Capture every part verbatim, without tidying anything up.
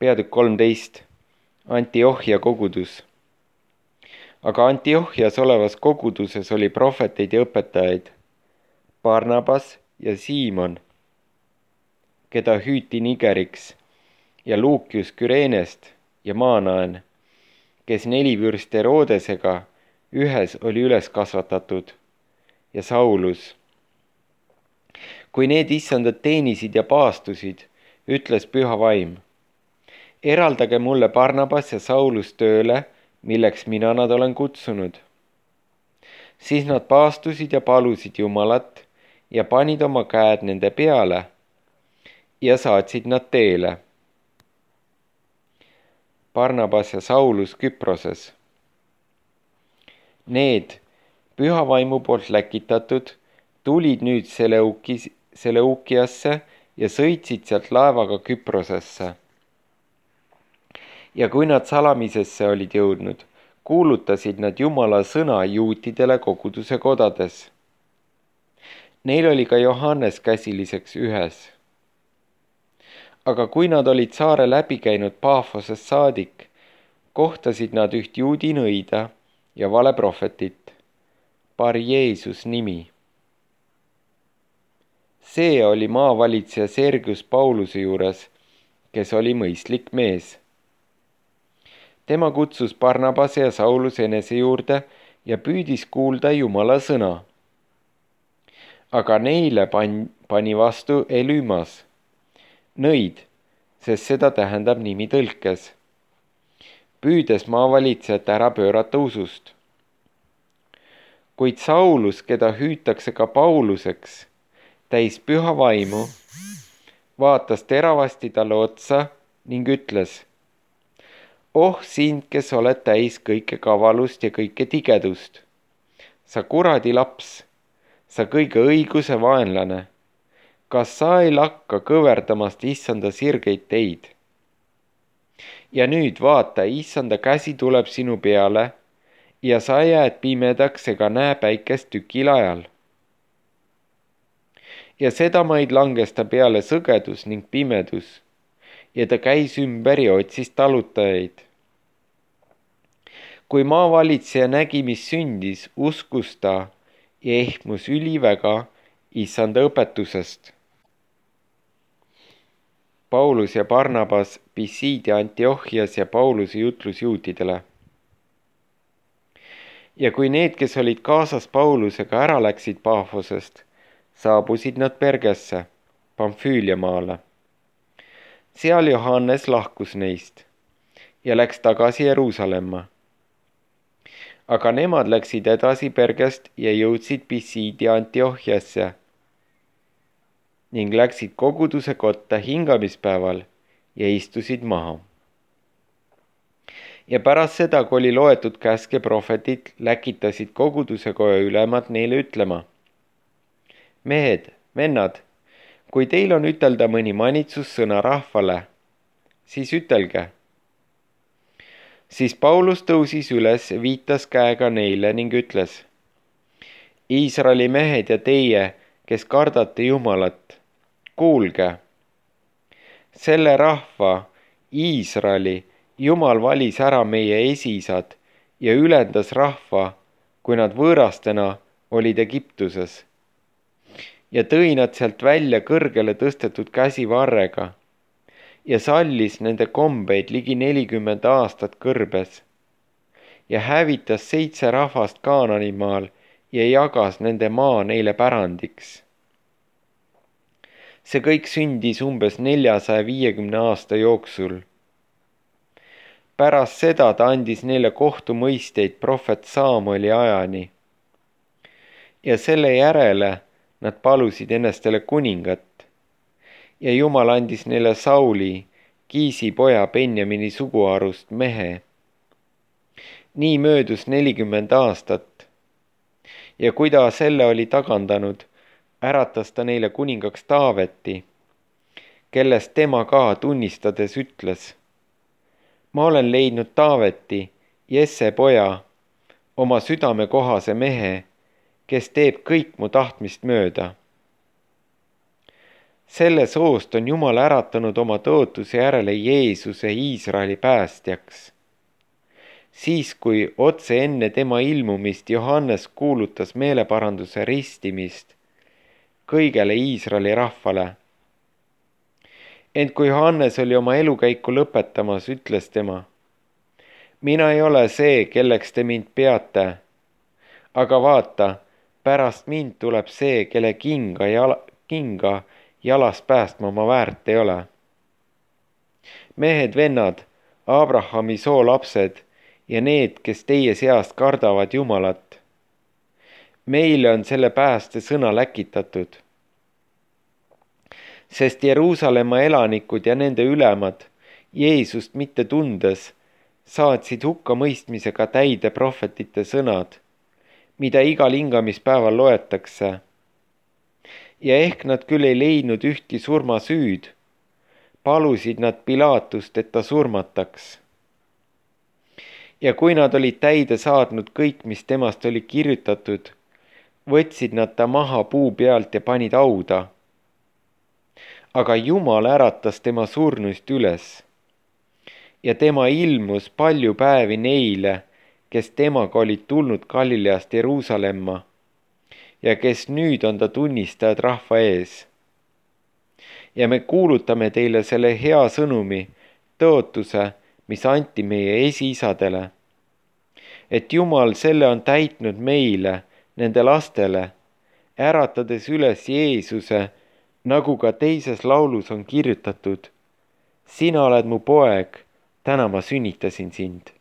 peatükk kolmteist. Antiohia kogudus. Aga Antiohias olevas koguduses oli prohveteid ja õpetajaid, Barnabas ja Siimon, keda hüüti Nigeriks, ja Luukius Küreenest ja Maanaen, kes nelivürst Herodesega ühes oli üles kasvatatud, ja Saulus. Kui need issandad teenisid ja paastusid, ütles püha vaim: eraldage mulle Barnabas ja Saulus tööle, milleks mina nad olen kutsunud. Siis nad paastusid ja palusid Jumalat ja panid oma käed nende peale ja saatsid nad teele. Barnabas ja Saulus Küproses. Need, püha vaimu poolt läkitatud, tulid nüüd Seleukis, Seleukiasse ja sõitsid sealt laevaga Küprosesse. Ja kui nad salamisesse olid jõudnud, kuulutasid nad Jumala sõna juutidele koguduse kodades. Neil oli ka Johannes käsiliseks ühes. Aga kui nad olid saare läbi käinud Paafosest saadik, kohtasid nad üht juudi nõida ja valeprohvetit, Bar Jeesus nimi. See oli maavalitseja Sergius Pauluse juures, kes oli mõistlik mees. Tema kutsus Barnabase ja Saulus enese juurde ja püüdis kuulda Jumala sõna. Aga neile pan, pani vastu Elümas, nõid, sest seda tähendab nimi tõlkes, püüdes maavalitsejat ära pöörata usust. Kuid Saulus, keda hüütakse ka Pauluseks, täis püha vaimu, vaatas teravasti talle otsa ning ütles: oh sind, kes oled täis kõike kavalust ja kõike tigedust, sa kuradi laps, sa kõige õiguse vaenlane, kas sa ei lakka kõverdamast issanda sirgeid teid? Ja nüüd vaata, issanda käsi tuleb sinu peale ja sa jääd pimedaks ega näe päikest tükil ajal. Ja seda maid langes ta peale sõgedus ning pimedus ja ta käis ümber ja otsis talutajaid. Kui maavalitseja nägi, mis sündis, uskus ta ja ehmus üliväga issanda õpetusest. Paulus ja Barnabas Pisidia Antiohias ja Pauluse jutlus juutidele. Ja kui need, kes olid kaasas Paulusega, ära läksid Paafosest, saabusid nad Pergesse, Pamfüülia maale. Seal Johannes lahkus neist ja läks tagasi Jeruusalemma. Aga nemad läksid edasi Pergest ja jõudsid Pisidia Antiohiasse ning läksid koguduse kotta hingamispäeval ja istusid maha. Ja pärast seda, kui oli loetud käske prohvetid, läkitasid koguduse koja ülemad neile ütlema: mehed, vennad, kui teil on ütelda mõni manitsussõna rahvale, siis ütelge. Siis Paulus tõusis üles, viitas käega neile ning ütles: Iisraeli mehed ja teie, kes kardate Jumalat, kuulge. Selle rahva, Iisraeli, Jumal valis ära meie esiisad ja ülendas rahva, kui nad võõrastena olid Egiptuses. Ja tõi nad sealt välja kõrgele tõstetud käsivarrega ja sallis nende kombeid ligi nelikümmend aastat kõrbes ja hävitas seitse rahvast Kaananimaal ja jagas nende maa neile pärandiks. See kõik sündis umbes neljasaja viiekümne aasta jooksul. Pärast seda ta andis neile kohtumõisteid prohvet Saamueli ajani. Ja selle järele nad palusid ennestele kuningat ja Jumal andis neile Sauli, Kiisi poja Benjamini suguharust mehe. Nii möödus nelikümmend aastat ja kui ta selle oli tagandanud, äratas ta neile kuningaks Taaveti, kellest tema ka tunnistades ütles: ma olen leidnud Taaveti, Jesse poja, oma südame kohase mehe, kes teeb kõik mu tahtmist mööda. Selle soost on Jumal äratanud oma tõotuse järele Jeesuse Iisraeli päästjaks. Siis, kui otse enne tema ilmumist Johannes kuulutas meeleparanduse ristimist kõigele Iisraeli rahvale. Ent kui Johannes oli oma elukäiku lõpetamas, ütles tema: mina ei ole see, kelleks te mind peate, aga vaata, pärast mind tuleb see, kelle kinga, jala, kinga jalast päästma ma väärt ei ole. Mehed, vennad, Abrahami soo lapsed ja need, kes teie seast kardavad Jumalat. Meile on selle pääste sõna läkitatud. Sest Jeruusalemma elanikud ja nende ülemad, Jeesust mitte tundes, saatsid hukkamõistmisega täide prohvetite sõnad, mida igal hingamispäeval loetakse. Ja ehk nad küll ei leidnud ühtki surmasüüd, palusid nad Pilaatust, et ta surmataks. Ja kui nad olid täide saadnud kõik, mis temast oli kirjutatud, võtsid nad ta maha puu pealt ja panid hauda. Aga Jumal äratas tema surnuist üles ja tema ilmus palju päevi neile, kes temaga olid tulnud Galileast Jeruusalemma ja kes nüüd on ta tunnistajad rahva ees. Ja me kuulutame teile selle hea sõnumi, tõotuse, mis anti meie esiisadele, et Jumal selle on täitnud meile, nende lastele, äratades üles Jeesuse, nagu ka teises laulus on kirjutatud: sina oled mu poeg, täna ma sünnitasin sind.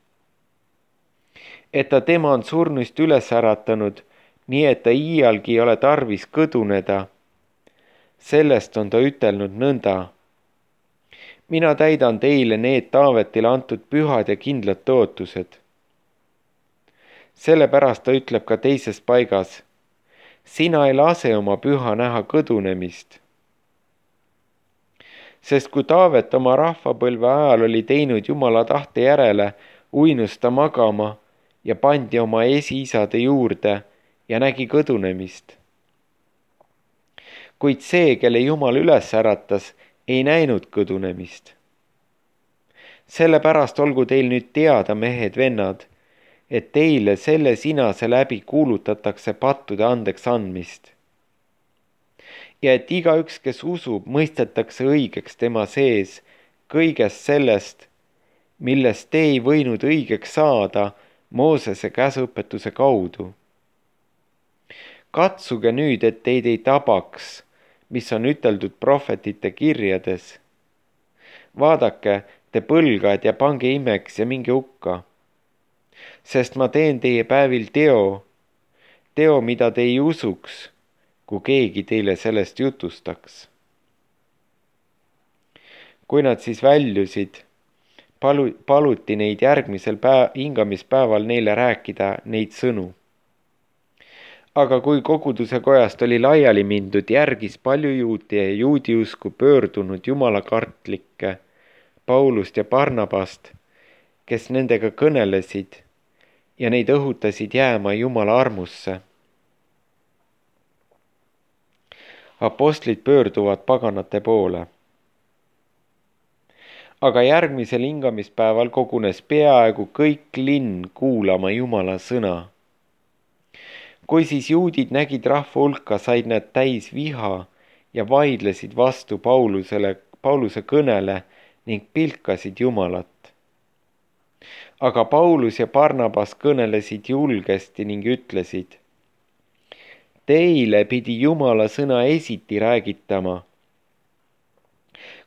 Et ta tema on surnuist üles äratanud, nii et ta iialgi ei ole tarvis kõduneda. Sellest on ta ütelnud nõnda: mina täidan teile need Taavetile antud pühad ja kindlad tõotused. Sellepärast ta ütleb ka teises paigas: sina ei lase oma püha näha kõdunemist. Sest kui Taavet oma rahvapõlve ajal oli teinud Jumala tahte järele, uinus ta magama ja pandi oma esiisade juurde ja nägi kõdunemist. Kuid see, kelle Jumal üles äratas, ei näinud kõdunemist. Sellepärast olgu teil nüüd teada, mehed, vennad, et teile selle sinase läbi kuulutatakse pattude andeks andmist. Ja et igaüks, kes usub, mõistetakse õigeks tema sees kõigest sellest, millest te ei võinud õigeks saada Moosese käsuõpetuse kaudu. Katsuge nüüd, et teid ei tabaks, mis on üteldud prohvetite kirjades. Vaadake, te põlgad ja pange imeks ja minge hukka. Sest ma teen teie päevil teo, teo, mida te ei usuks, kui keegi teile sellest jutustaks. Kui nad siis väljusid, palu, paluti neid järgmisel päev, hingamispäeval neile rääkida neid sõnu. Aga kui koguduse kojast oli laiali mindud, järgis palju juudi ja juudi usku pöördunud jumalakartlikke, Paulust ja Barnabast, kes nendega kõnelesid ja neid õhutasid jääma Jumala armusse. Apostlid pöörduvad paganate poole. Aga järgmisel hingamispäeval kogunes peaaegu kõik linn kuulama Jumala sõna. Kui siis juudid nägid rahva hulka, said nad täis viha ja vaidlesid vastu Paulusele, Pauluse kõnele ning pilkasid Jumalat. Aga Paulus ja Barnabas kõnelesid julgesti ning ütlesid: teile pidi Jumala sõna esiti räägitama.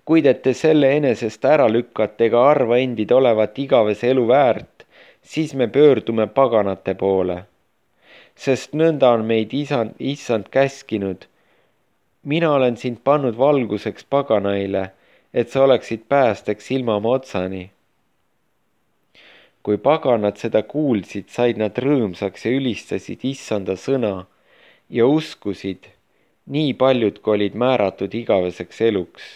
Kuid et te selle enesest ära lükkate ega arva endid olevat igavese elu väärt, siis me pöördume paganate poole. Sest nõnda on meid isand, issand käskinud. Mina olen sind pannud valguseks paganaile, et sa oleksid päästeks ilmama otsani. Kui paganad seda kuulsid, said nad rõõmsaks ja ülistasid issanda sõna ja uskusid, nii paljud, kui olid määratud igaveseks eluks.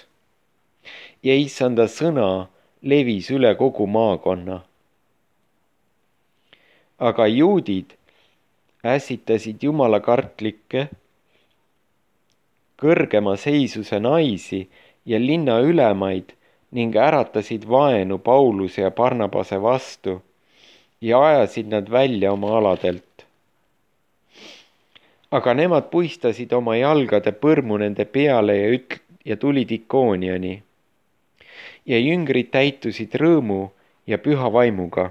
Ja issanda sõna levis üle kogu maakonna. Aga juudid ässitasid jumalakartlikke, kõrgema seisuse naisi ja linna ülemaid ning äratasid vaenu Pauluse ja Barnabase vastu ja ajasid nad välja oma aladelt. Aga nemad puistasid oma jalgade põrmu nende peale ja, üt- ja tulid Ikooniani. Ja jüngrid täitusid rõõmu ja püha vaimuga